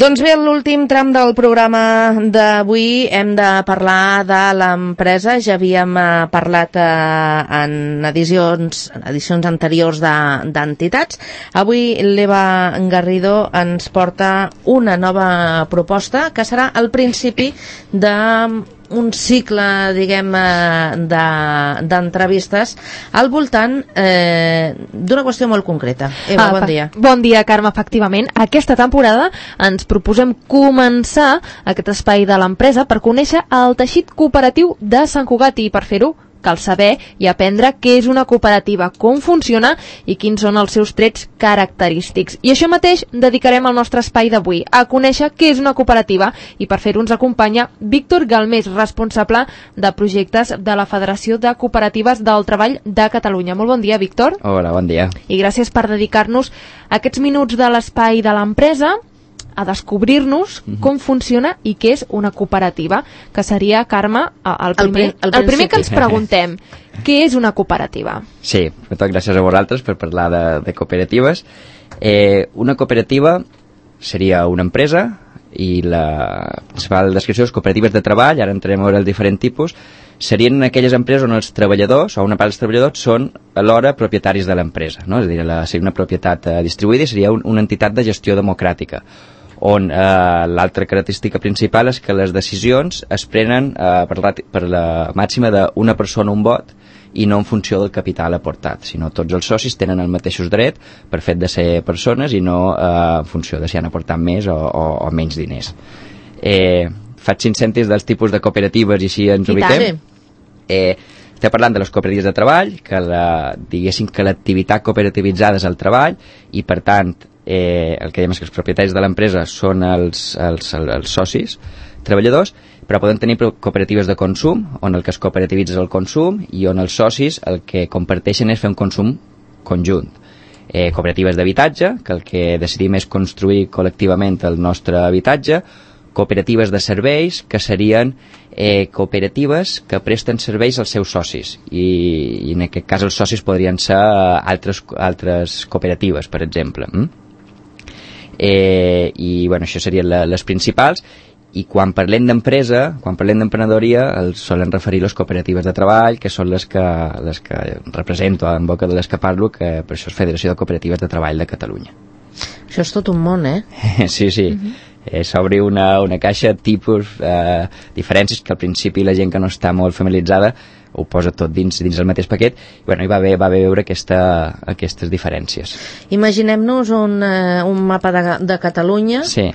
Doncs bé, en l'últim tram del programa d'avui hem de parlar de l'empresa. Ja havíem parlat en edicions anteriors d'entitats. Avui l'Eva Garrido ens porta una nova proposta que serà el principi d'un cicle, diguem, d'entrevistes al voltant d'una qüestió molt concreta. Eva, bon dia. Bon dia, Carme. Efectivament, aquesta temporada ens proposem començar aquest espai de l'empresa per conèixer el teixit cooperatiu de Sant Cugat, i per fer-ho cal saber i aprendre què és una cooperativa, com funciona i quins són els seus trets característics. I això mateix dedicarem el nostre espai d'avui, a conèixer què és una cooperativa, i per fer-ho ens acompanya Víctor Galmés, responsable de projectes de la Federació de Cooperatives del Treball de Catalunya. Molt bon dia, Víctor. Hola, bon dia. I gràcies per dedicar-nos aquests minuts de l'espai de l'empresa a descobrir-nos com funciona i què és una cooperativa, que seria, Carme, el primer que ens preguntem. Què és una cooperativa? Sí, sobretot gràcies a vosaltres per parlar de cooperatives. Una cooperativa seria una empresa, i la principal descripció és cooperatives de treball. Ara entrarem a veure els diferents tipus. Serien aquelles empreses on els treballadors, o una part dels treballadors, són alhora propietaris de l'empresa, no? És a dir, seria una propietat distribuïda i seria una entitat de gestió democràtica, on l'altra característica principal és que les decisions es prenen per la màxima d'una persona un vot, i no en funció del capital aportat, sinó tots els socis tenen els mateixos drets per fet de ser persones i no en funció de si han aportat més o menys diners. Faig 5 cèntims dels tipus de cooperatives i així ens ubiquem. Estem parlant de les cooperatives de treball, que diguéssim que l'activitat cooperativitzada és el treball, i per tant el que diem és que els propietaris de l'empresa són els socis treballadors, però poden tenir cooperatives de consum, on el que es cooperativitza és el consum i on els socis el que comparteixen és fer un consum conjunt. Cooperatives d'habitatge, que el que decidim és construir col·lectivament el nostre habitatge. Cooperatives de serveis, que serien cooperatives que presten serveis als seus socis, i en aquest cas els socis podrien ser altres cooperatives, per exemple. I bueno, això serien les principals. I quan parlem d'empresa, quan parlem d'emprenedoria, solen referir les cooperatives de treball, que són les que represento en boca de les que parlo, que per això és Federació de Cooperatives de Treball de Catalunya. Això és tot un món, Sí. S'obre una caixa de tipus, diferències, que al principi la gent que no està molt familiaritzada ho posa tot dins el mateix paquet, i bueno, hi va haver veure aquestes diferències. Imaginem-nos un mapa de Catalunya, sí.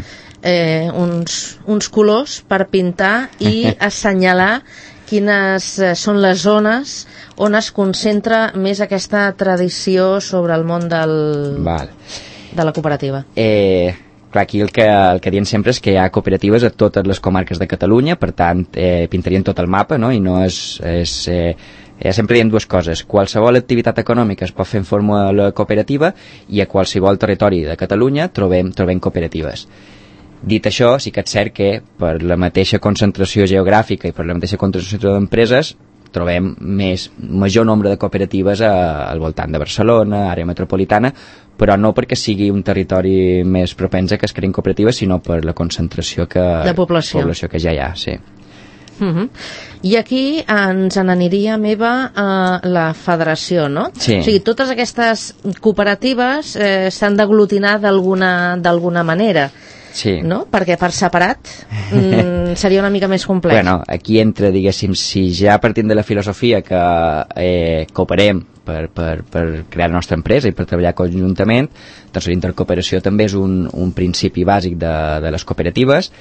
Uns colors per pintar i assenyalar quines són les zones on es concentra més aquesta tradició sobre el món de la cooperativa. Clar, aquí el que diem sempre és que hi ha cooperatives a totes les comarques de Catalunya, per tant pintarien tot el mapa, no? I no sempre diem dues coses: qualsevol activitat econòmica es pot fer en forma cooperativa, i a qualsevol territori de Catalunya trobem cooperatives. Dit això, sí que és cert que per la mateixa concentració geogràfica i per la mateixa concentració d'empreses trobem major nombre de cooperatives al voltant de Barcelona, àrea metropolitana, però no perquè sigui un territori més propens a que es creïn cooperatives, sinó per la concentració de població que ja hi ha, sí. I aquí ens n'aniria, Eva, la federació, no? Sí. O sigui, totes aquestes cooperatives s'han d'aglutinar d'alguna manera. Sí. No? Perquè per separat seria una mica més complex. Bueno, aquí entra, diguéssim, si ja partim de la filosofia que cooperem per crear la nostra empresa i per treballar conjuntament, doncs la intercooperació també és un principi bàsic de les cooperatives,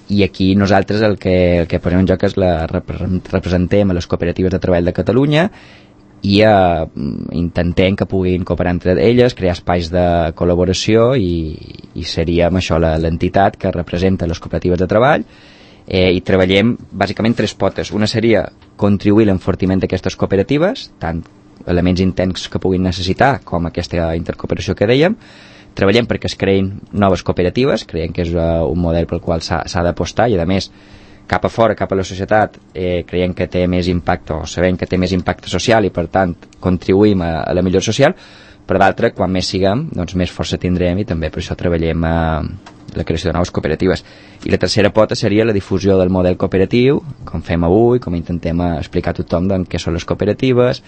i aquí nosaltres el que posem en joc és representem a les cooperatives de treball de Catalunya, i intentem que puguin cooperar entre elles, crear espais de col·laboració, i seríem això, l'entitat que representa les cooperatives de treball, i treballem bàsicament 3 potes. Una seria contribuir a l'enfortiment d'aquestes cooperatives, tant elements interns que puguin necessitar com aquesta intercooperació que dèiem. Treballem perquè es creïn noves cooperatives, creiem que és un model pel qual s'ha d'apostar, i a més cap a fora, cap a la societat, creiem que té més impacte, o sabem que té més impacte social, i per tant contribuïm a la millora social. però d'altra, quan més siguem, doncs més força tindrem, i també per això treballem la creació de noves cooperatives. I la tercera pota seria la difusió del model cooperatiu, com fem avui, com intentem explicar a tothom doncs, què són les cooperatives,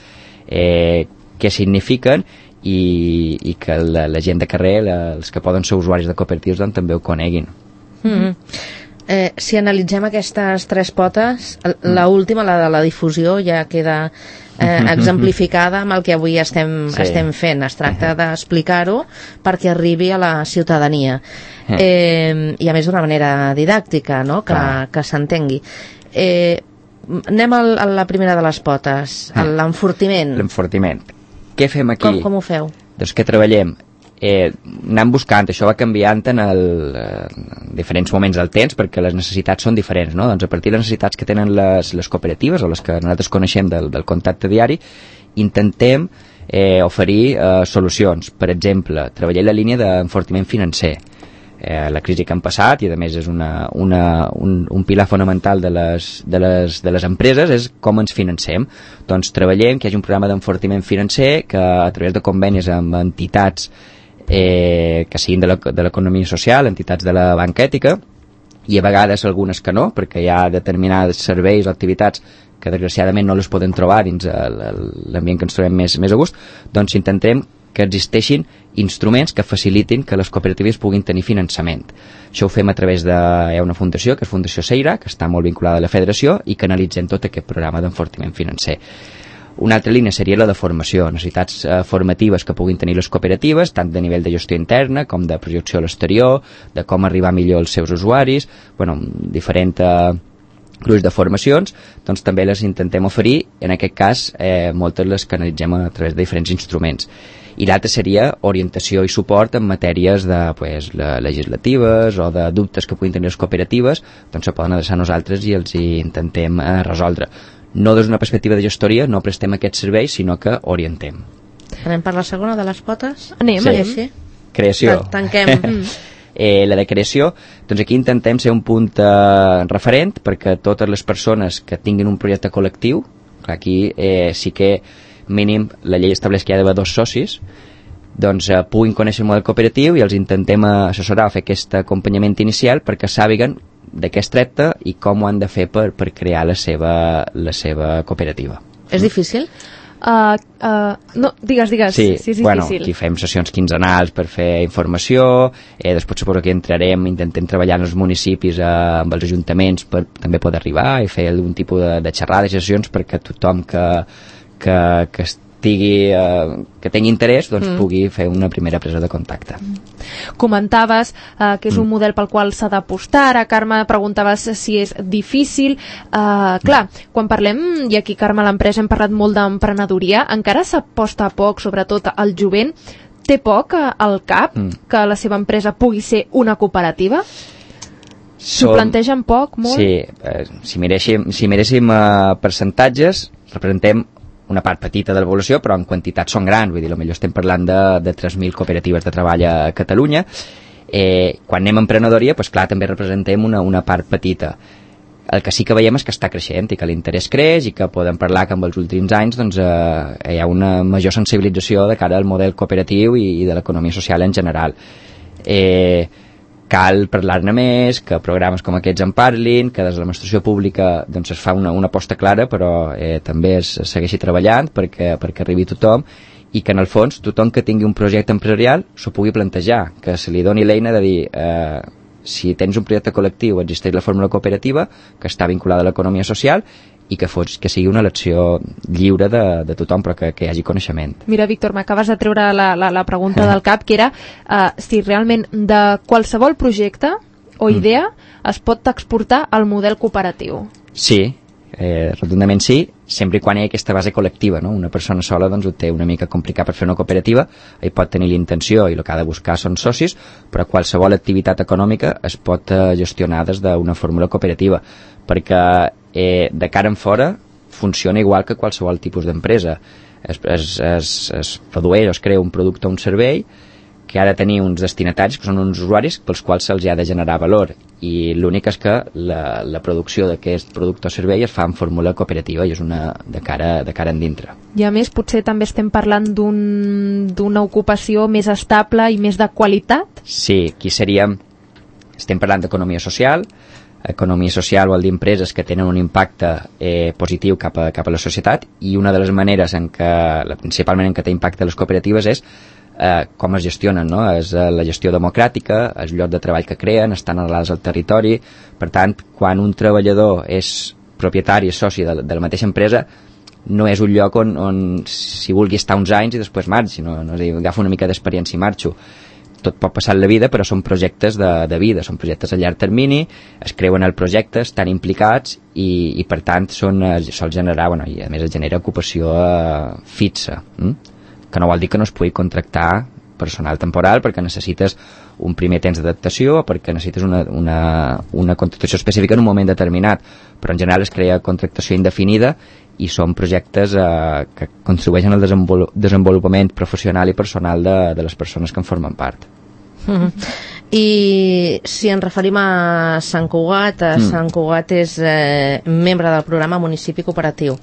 què signifiquen, i que la gent de carrer, els que poden ser usuaris de cooperatives, doncs, també ho coneguin. Si analitzem aquestes tres potes, l'última, la de la difusió, ja queda exemplificada amb el que avui estem fent. Es tracta d'explicar-ho perquè arribi a la ciutadania, i a més d'una manera didàctica, no? Que s'entengui. Anem a la primera de les potes, l'enfortiment. L'enfortiment. Què fem aquí? Com ho feu? Doncs què treballem? Anem buscant, això va canviant en diferents moments del temps, perquè les necessitats són diferents, no? Doncs a partir de les necessitats que tenen les cooperatives, o les que nosaltres coneixem del contacte diari, intentem oferir solucions. Per exemple, treballar la línia d'enfortiment financer. La crisi que han passat, i a més és un pilar fonamental de les empreses, és com ens financem. Doncs treballem que hi hagi un programa d'enfortiment financer que a través de convenis amb entitats que siguin de l'economia social, entitats de la banca ètica, i a vegades algunes que no, perquè hi ha determinats serveis o activitats que desgraciadament no les podem trobar dins l'ambient que ens trobem més a gust, doncs intentem que existeixin instruments que facilitin que les cooperatives puguin tenir finançament. Això ho fem a través hi ha una fundació, que és Fundació Seira, que està molt vinculada a la federació, i que analitzem tot aquest programa d'enfortiment financer. Una altra línia seria la de formació, necessitats formatives que puguin tenir les cooperatives, tant de nivell de gestió interna com de projecció a l'exterior, de com arribar millor als seus usuaris, diferents grups de formacions, doncs també les intentem oferir, en aquest cas moltes les canalitzem a través de diferents instruments. I l'altre seria orientació i suport en matèries legislatives o de dubtes que puguin tenir les cooperatives, doncs se poden adreçar a nosaltres i els hi intentem resoldre. No des d'una perspectiva de gestoria, no prestem aquests serveis, sinó que orientem. Anem per la segona de les potes? Anem. Creació. Tanquem. La de creació, doncs aquí intentem ser un punt referent perquè totes les persones que tinguin un projecte col·lectiu, aquí sí que mínim la llei estableix que hi ha d'haver 2 socis, doncs puguin conèixer el model cooperatiu i els intentem assessorar, fer aquest acompanyament inicial perquè sàpiguen de què es tracta i com ho han de fer per crear la seva cooperativa. És difícil? No, digues. Sí, és difícil. Aquí fem sessions quinzenals per fer informació, després suposo que intentem treballar en els municipis amb els ajuntaments per també poder arribar i fer algun tipus de xerrades i sessions perquè tothom que estigui que tingui interès doncs pugui fer una primera presa de contacte. Comentaves que és un model pel qual s'ha d'apostar. Ara, Carme, preguntaves si és difícil. Clar, quan parlem, i aquí, Carme, a l'empresa hem parlat molt d'emprenedoria, encara s'aposta poc, sobretot al jovent. Té poc al cap que la seva empresa pugui ser una cooperativa? S'ho plantegen poc, molt? Sí, si miréssim percentatges, representem una part petita de la població, però en quantitat són grans, vull dir, potser estem parlant de 3.000 cooperatives de treball a Catalunya. Quan anem a emprenedoria, doncs clar, també representem una part petita. El que sí que veiem és que està creixent i que l'interès creix i que podem parlar que en els últims anys doncs, hi ha una major sensibilització de cara al model cooperatiu i de l'economia social en general. Cal parlar-ne més, que programes com aquests en parlin, que des de l'administració pública doncs, es fa una aposta clara, però també es segueixi treballant perquè arribi tothom i que en el fons tothom que tingui un projecte empresarial s'ho pugui plantejar, que se li doni l'eina de dir si tens un projecte col·lectiu existeix la fórmula cooperativa que està vinculada a l'economia social i que sigui una elecció lliure de tothom, però que hi hagi coneixement. Mira, Víctor, m'acabes de treure la pregunta del cap, que era si realment de qualsevol projecte o idea es pot exportar al model cooperatiu. Sí, rotundament sí, sempre quan hi ha aquesta base col·lectiva, no? Una persona sola doncs, ho té una mica complicat per fer una cooperativa, hi pot tenir l'intenció i el que ha de buscar són socis, però qualsevol activitat econòmica es pot gestionar des d'una fórmula cooperativa, perquè de cara en fora funciona igual que qualsevol tipus d'empresa. Es produeix o es crea un producte o un servei que ha de tenir uns destinataris, que són uns usuaris pels quals se'ls ha de generar valor, i l'únic és que la producció d'aquest producte o servei es fa en fórmula cooperativa i és una de cara endintre. I a més potser també estem parlant d'una ocupació més estable i més de qualitat? Sí, aquí estem parlant d'economia social. Economia social vol dir empreses que tenen un impacte positiu cap a la societat, i una de les maneres principalment en què té impacte les cooperatives és com es gestionen, no? És la gestió democràtica, els llocs de treball que creen, estan arrelats al territori. Per tant, quan un treballador és propietari, és soci de la mateixa empresa, no és un lloc on si vulgui estar uns anys i després marxi, no és a dir, agafo una mica d'experiència i marxo. Tot pot passar en la vida, però són projectes de vida, són projectes a llarg termini, es creuen el projecte, estan implicats i per tant sol generar, i a més es genera ocupació fixa, que no vol dir que no es pugui contractar personal temporal perquè necessites un primer temps d'adaptació o perquè necessites una contractació específica en un moment determinat, però en general es crea contractació indefinida i són projectes que contribueixen al desenvolupament professional i personal de les persones que en formen part. I si ens referim a Sant Cugat, Sant Cugat és membre del programa Municipi Cooperatiu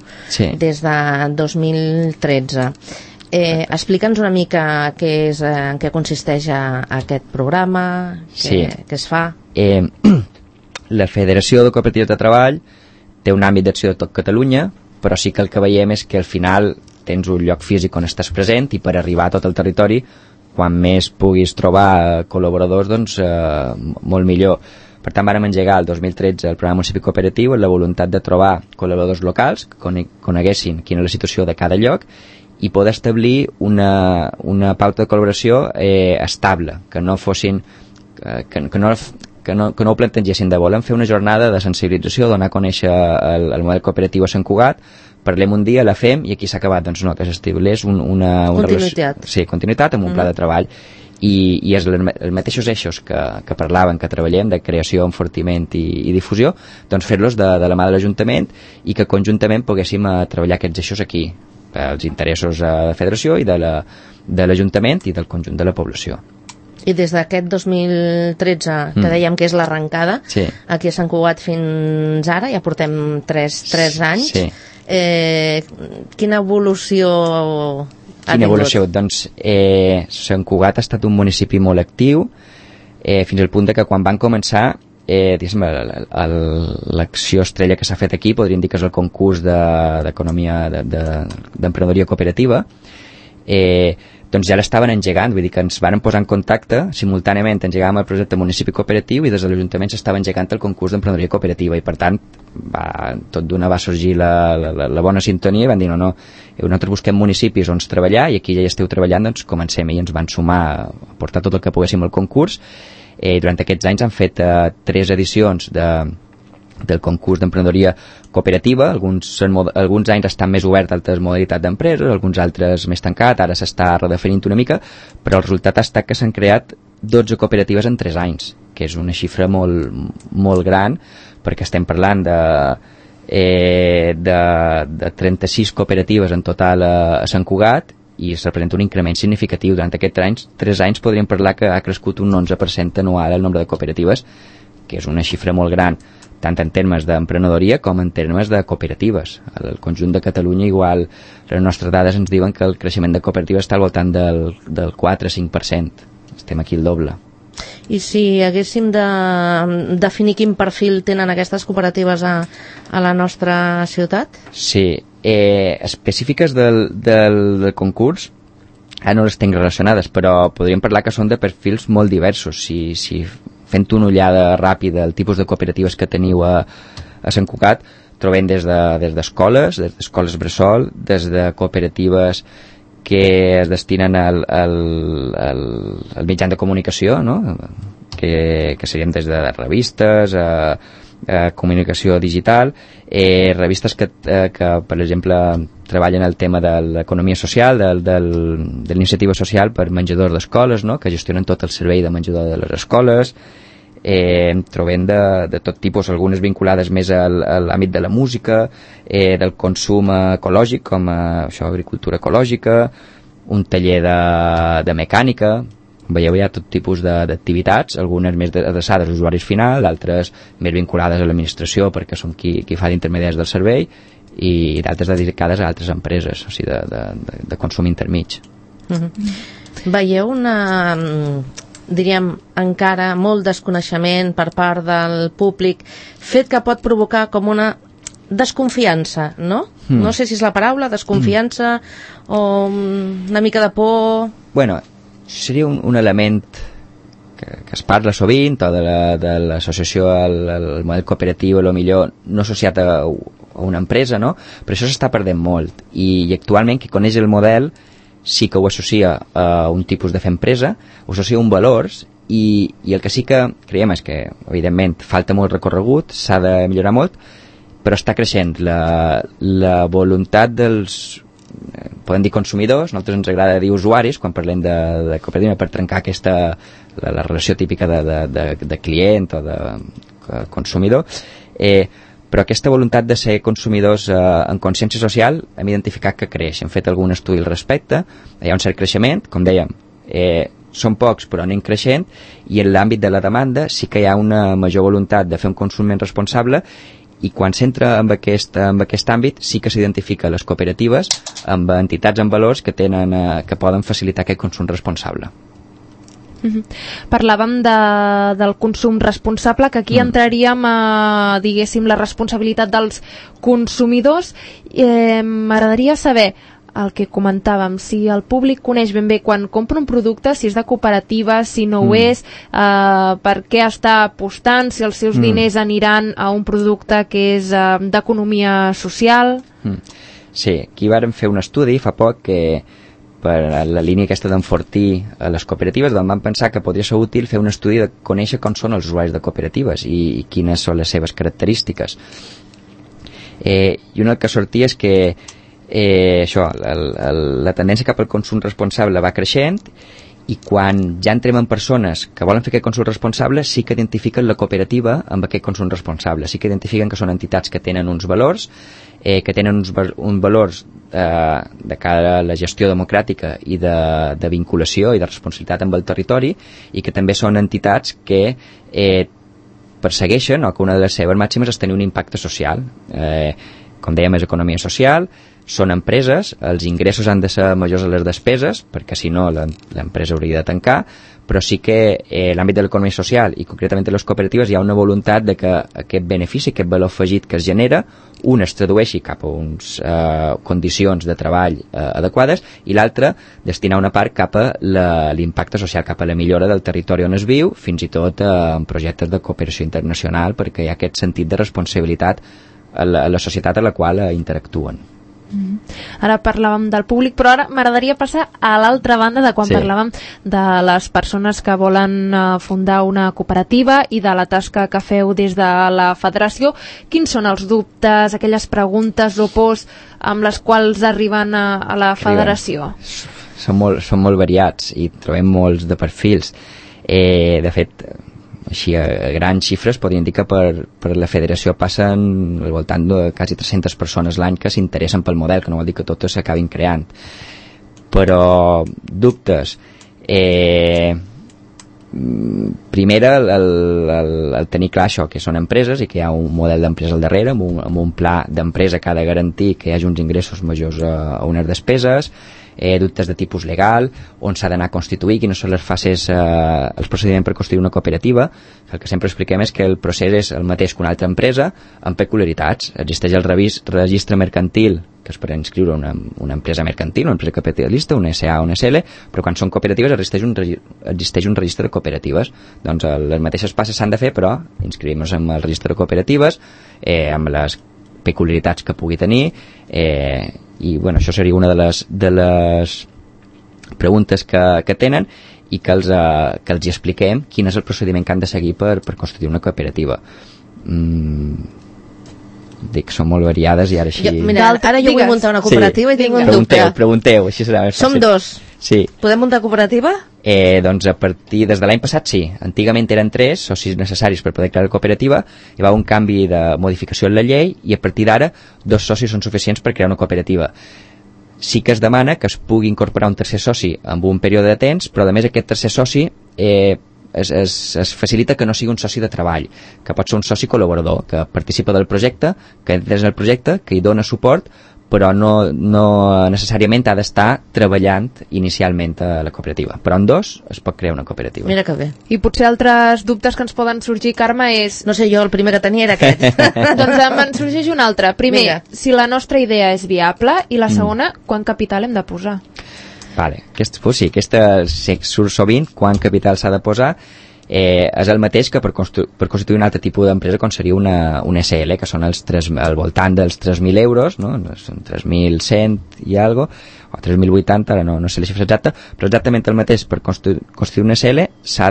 des de 2013. Explica'ns una mica en què consisteix aquest programa, què es fa. La Federació de Cooperatives de Treball té un àmbit d'acció de tot Catalunya, però sí que el que veiem és que al final tens un lloc físic on estàs present i per arribar a tot el territori, quan més puguis trobar col·laboradors, doncs molt millor. Per tant, vam engegar el 2013 el programa Municipi Cooperatiu amb la voluntat de trobar col·laboradors locals que coneguessin quina és la situació de cada lloc i poder establir una pauta de col·laboració estable, que no fossin que no ho plantegessin de voler fer una jornada de sensibilització, donar a conèixer el model cooperatiu a Sant Cugat, parlem un dia, la fem i aquí s'ha acabat. Doncs no, que s'estableix una continuïtat. Continuïtat amb un pla de treball i és els mateixos eixos que parlaven, que treballem de creació, enfortiment i difusió, doncs fer-los de la mà de l'Ajuntament i que conjuntament poguéssim treballar aquests eixos aquí, els interessos de la Federació i de l'Ajuntament i del conjunt de la població. I des d'aquest 2013, que dèiem que és l'arrencada, aquí a Sant Cugat fins ara, ja portem 3 anys, quina evolució ha tingut? Quina evolució? Doncs Sant Cugat ha estat un municipi molt actiu, fins al punt que quan van començar, l'acció estrella que s'ha fet aquí, podríem dir que és el concurs d'economia, d'emprenedoria cooperativa, doncs ja l'estaven engegant, vull dir que ens van posar en contacte, simultàniament engegàvem el projecte Municipi Cooperatiu i des de l'Ajuntament s'estava engegant el concurs d'emprenedoria cooperativa i per tant tot d'una va sorgir la bona sintonia i van dir no, nosaltres busquem municipis on treballar i aquí ja hi esteu treballant, doncs comencem i ens van sumar a portar tot el que poguéssim al concurs. Durant aquests anys han fet 3 edicions del concurs d'emprenedoria cooperativa, alguns anys estan més obert a altres modalitats d'empreses, alguns altres més tancat, ara s'està redefinint una mica, però el resultat ha estat que s'han creat 12 cooperatives en 3 anys, que és una xifra molt, molt gran, perquè estem parlant de 36 cooperatives en total a Sant Cugat i es representa un increment significatiu. Durant aquests 3 anys podríem parlar que ha crescut un 11% anual el nombre de cooperatives, que és una xifra molt gran, tant en termes d'emprenedoria com en termes de cooperatives. Al conjunt de Catalunya, igual, les nostres dades ens diuen que el creixement de cooperatives està al voltant del 4-5%. Estem aquí el doble. I si haguéssim de definir quin perfil tenen aquestes cooperatives a la nostra ciutat? Sí, específiques del concurs, ara no les tinc relacionades, però podríem parlar que són de perfils molt diversos. Si fent una ullada ràpida al tipus de cooperatives que teniu a Sant Cugat, trobem des d'escoles bressol, des de cooperatives que es destinen al mitjan de comunicació, no? que serien des de revistes, comunicació digital, revistes que per exemple treballen el tema de l'economia social, de l'iniciativa social per menjadors d'escoles, no? Que gestionen tot el servei de menjador de les escoles. Trobem de tot tipus, algunes vinculades més a l'àmbit de la música, del consum ecològic, com agricultura ecològica, un taller de mecànica, Veieu, hi ha tot tipus d'activitats, algunes més adreçades als usuaris final, d'altres més vinculades a l'administració perquè són qui fa d'intermediaris del servei, i d'altres dedicades a altres empreses, o sigui, de consum intermig. Veieu diríem, encara molt desconeixement per part del públic, fet que pot provocar com una desconfiança, no? No sé si és la paraula, desconfiança, o una mica de por... Bueno, seria un element que es parla sovint, o de l'associació al model cooperatiu, a lo millor no associat a una empresa, no? Però això s'està perdent molt, i actualment qui coneix el model sí que ho associa a un tipus de fer empresa, ho associa a un valors, i el que sí que creiem és que, evidentment, falta molt recorregut, s'ha de millorar molt, però està creixent la voluntat dels, podem dir consumidors, nosaltres ens agrada dir usuaris quan parlem de cooperativa, per trencar la relació típica de client o de consumidor, però aquesta voluntat de ser consumidors en consciència social hem identificat que creix, hem fet algun estudi al respecte, hi ha un cert creixement, com dèiem, són pocs però anem creixent, i en l'àmbit de la demanda sí que hi ha una major voluntat de fer un consum més responsable, i quan s'entra en aquest àmbit sí que s'identifica les cooperatives amb entitats amb valors que poden facilitar aquest consum responsable. Parlàvem del consum responsable, que aquí entraríem a, diguéssim, la responsabilitat dels consumidors. M'agradaria saber el que comentàvem, si el públic coneix ben bé quan compra un producte, si és de cooperativa, si no ho és, per què està apostant, si els seus diners aniran a un producte que és d'economia social. Sí, aquí vàrem fer un estudi fa poc que per la línia aquesta d'enfortir les cooperatives, doncs vam pensar que podria ser útil fer un estudi de conèixer com són els usuaris de cooperatives i quines són les seves característiques. I una que sortia és que la tendència cap al consum responsable va creixent, i quan ja entrem en persones que volen fer aquest consum responsable sí que identifiquen la cooperativa amb aquest consum responsable, sí que identifiquen que són entitats que tenen uns valors, que tenen uns valors de cara a la gestió democràtica i de vinculació i de responsabilitat amb el territori, i que també són entitats que persegueixen, o que una de les seves màximes és tenir un impacte social. Com dèiem, és economia social, són empreses, els ingressos han de ser majors a les despeses, perquè si no l'empresa hauria de tancar, però sí que en l'àmbit de l'economia social i concretament de les cooperatives hi ha una voluntat de que aquest benefici, aquest valor afegit que es genera, es tradueixi cap a unes condicions de treball adequades, i l'altre destinar una part cap a l'impacte social, cap a la millora del territori on es viu, fins i tot en projectes de cooperació internacional, perquè hi ha aquest sentit de responsabilitat a la societat a la qual interactuen. Ara parlàvem del públic, però ara m'agradaria passar a l'altra banda de quan parlàvem de les persones que volen fundar una cooperativa i de la tasca que feu des de la federació. Quins són els dubtes, aquelles preguntes o pors amb les quals arriben a la federació? Són molt variats i trobem molts de perfils. De fet, així a grans xifres podríem dir que per la federació passen al voltant de quasi 300 persones l'any que s'interessen pel model, que no vol dir que totes s'acabin creant. Però dubtes, primera, el tenir clar això, que són empreses i que hi ha un model d'empresa al darrere, amb un pla d'empresa que ha de garantir que hi hagi uns ingressos majors a unes despeses, dubtes de tipus legal, on s'ha d'anar a constituir, quines són les fases, els procediments per constituir una cooperativa. El que sempre expliquem és que el procés és el mateix que una altra empresa, amb peculiaritats. Existeix el registre mercantil, que és per inscriure una empresa mercantil, una empresa capitalista, una SA o una SL, però quan són cooperatives existeix un registre de cooperatives. Doncs les mateixes passes s'han de fer, però inscrivim-nos en el registre de cooperatives, amb les peculiaritats que pugui tenir, i bueno, això seria una de les preguntes que tenen, i que els hi expliquem quin és el procediment que han de seguir per constituir una cooperativa. Dic, són molt variades i ara així... Ara jo vull muntar una cooperativa i tinc un dubte. Pregunteu, així serà més fàcil. Som dos. Sí. Podem muntar cooperativa? Doncs des de l'any passat sí. Antigament eren 3 socis necessaris per poder crear la cooperativa, hi va un canvi de modificació en la llei i a partir d'ara 2 socis són suficients per crear una cooperativa. sí que es demana que es pugui incorporar un tercer soci amb un període de temps, però a més aquest tercer soci es facilita que no sigui un soci de treball, que pot ser un soci col·laborador, que participa del projecte, que entra en el projecte, que hi dona suport, però no necessàriament ha d'estar treballant inicialment a la cooperativa. Però en dos es pot crear una cooperativa. Mira que bé. I potser altres dubtes que ens poden sorgir, Carme, és... No sé, jo el primer que tenia era aquest. Doncs me'n sorgeix un altre. Primer, Mira. si la nostra idea és viable, i la segona, quant capital hem de posar? Vale. Aquesta surt sovint, quant capital s'ha de posar, és el mateix que per constituir un altre tipus d'empresa com seria una SL, que són al voltant dels 3.000 euros, no? Són 3.100 i algo, o 3.080, ara no sé la xifra exacta, però exactament el mateix per constituir una SL s'ha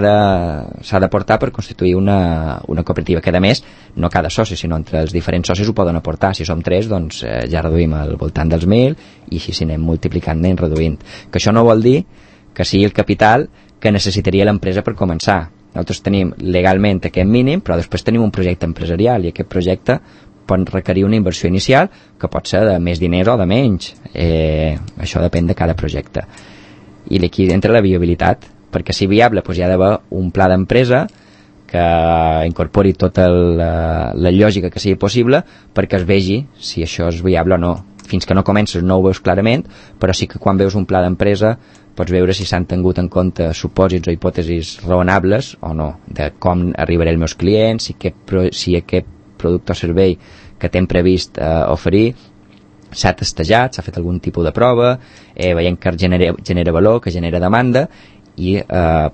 de portar per constituir una cooperativa, que a més no cada soci, sinó entre els diferents socis ho poden aportar. Si som 3, doncs ja reduïm al voltant dels 1.000 i així si anem multiplicant anem reduint. Que això no vol dir que sigui el capital que necessitaria l'empresa per començar. Nosaltres tenim legalment aquest mínim, però després tenim un projecte empresarial i aquest projecte pot requerir una inversió inicial que pot ser de més diners o de menys. Això depèn de cada projecte. I aquí entra la viabilitat, perquè si viable doncs hi ha d'haver un pla d'empresa que incorpori tota la lògica que sigui possible perquè es vegi si això és viable o no. Fins que no comences no ho veus clarament, però sí que quan veus un pla d'empresa pots veure si s'han tingut en compte supòsits o hipòtesis raonables o no, de com arribaré als meus clients, si aquest producte o servei que t'hem previst oferir s'ha testejat, s'ha fet algun tipus de prova, veiem que genera valor, que genera demanda, i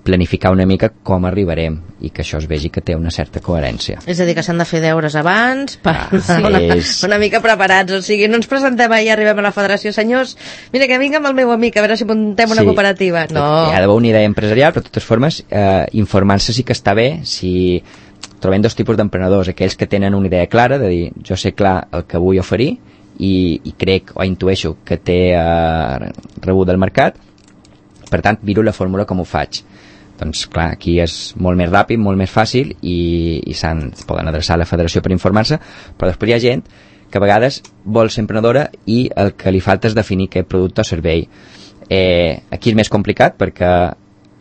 planificar una mica com arribarem i que això es vegi que té una certa coherència. És a dir, que s'han de fer deures abans per és... una mica preparats, o sigui, no ens presentem i arribem a la federació, senyors, mira que vinc amb el meu amic a veure si muntem una cooperativa. No. Hi ha d'haver una idea empresarial, però de totes formes informar-se sí que està bé si trobem dos tipus d'emprenedors, aquells que tenen una idea clara, de dir, jo sé clar el que vull oferir i crec o intueixo que té rebut del mercat, per tant miro la fórmula com ho faig. Doncs clar, aquí és molt més ràpid, molt més fàcil i poden adreçar a la federació per informar-se, però després hi ha gent que a vegades vol ser emprenedora i el que li falta és definir què producte o servei. Aquí és més complicat perquè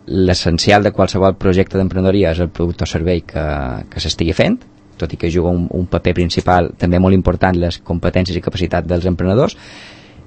l'essencial de qualsevol projecte d'emprenedoria és el producte o servei que s'estigui fent, tot i que juga un paper principal també molt important les competències i capacitats dels emprenedors,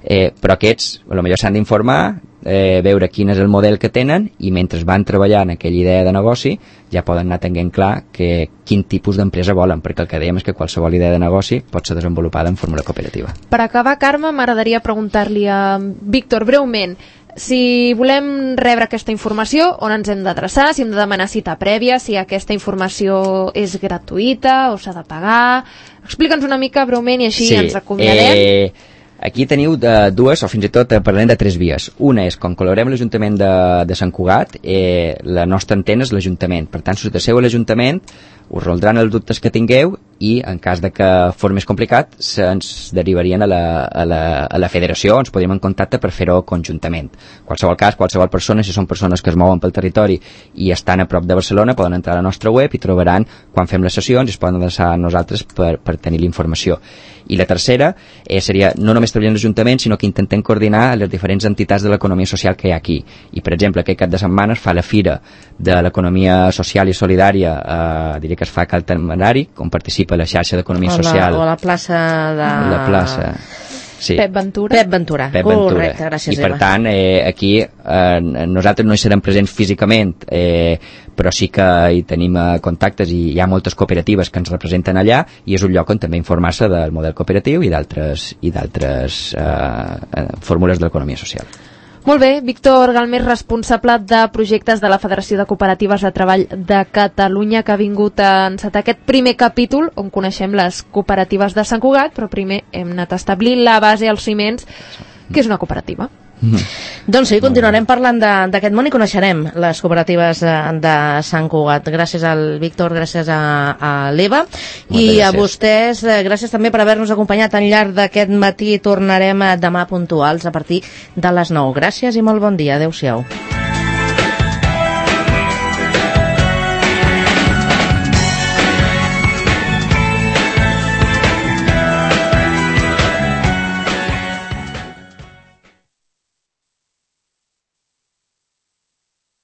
però aquests potser s'han d'informar, veure quin és el model que tenen i mentre van treballant aquella idea de negoci ja poden anar tenint clar quin tipus d'empresa volen, perquè el que dèiem és que qualsevol idea de negoci pot ser desenvolupada en fórmula cooperativa. Per acabar, Carme, m'agradaria preguntar-li a Víctor breument si volem rebre aquesta informació, on ens hem d'adreçar, si hem de demanar cita prèvia, si aquesta informació és gratuïta o s'ha de pagar. Explica'ns una mica breument i així ens acomiadem. Aquí teniu dues, o fins i tot parlem de 3 vies. Una és, com col·laborem amb l'Ajuntament de Sant Cugat, la nostra antena és l'Ajuntament. Per tant, si us adreceu a l'Ajuntament, us resoldran els dubtes que tingueu i, en cas de que fos més complicat, se'ns derivarien a la federació, ens podríem en contacte per fer-ho conjuntament. Qualsevol cas, qualsevol persona, si són persones que es mouen pel territori i estan a prop de Barcelona, poden entrar a la nostra web i trobaran quan fem les sessions i es poden adreçar a nosaltres per tenir la informació. I la tercera seria no només treballar en l'Ajuntament, sinó que intentem coordinar les diferents entitats de l'economia social que hi ha aquí. I, per exemple, aquest cap de setmana es fa la Fira de l'Economia Social i Solidària, diria que es fa a Cal Temerari, on participa la xarxa d'Economia Social. O la plaça de... La plaça... Sí. Pep Ventura. Correcte, gràcies, Eva. I per tant, aquí nosaltres no hi serem presents físicament, però sí que hi tenim contactes i hi ha moltes cooperatives que ens representen allà i és un lloc on també informar-se del model cooperatiu i d'altres fórmules de l'economia social. Molt bé, Víctor Galmés, responsable de projectes de la Federació de Cooperatives de Treball de Catalunya, que ha vingut a encetar aquest primer capítol on coneixem les cooperatives de Sant Cugat, però primer hem anat a establir la base, els ciments, que és una cooperativa. Doncs sí, continuarem parlant d'aquest món i coneixerem les cooperatives de Sant Cugat. Gràcies al Víctor, gràcies a l'Eva i a vostès, gràcies també per haver-nos acompanyat al llarg d'aquest matí. Tornarem demà puntuals a partir de les 9. Gràcies i molt bon dia. Adéu-siau.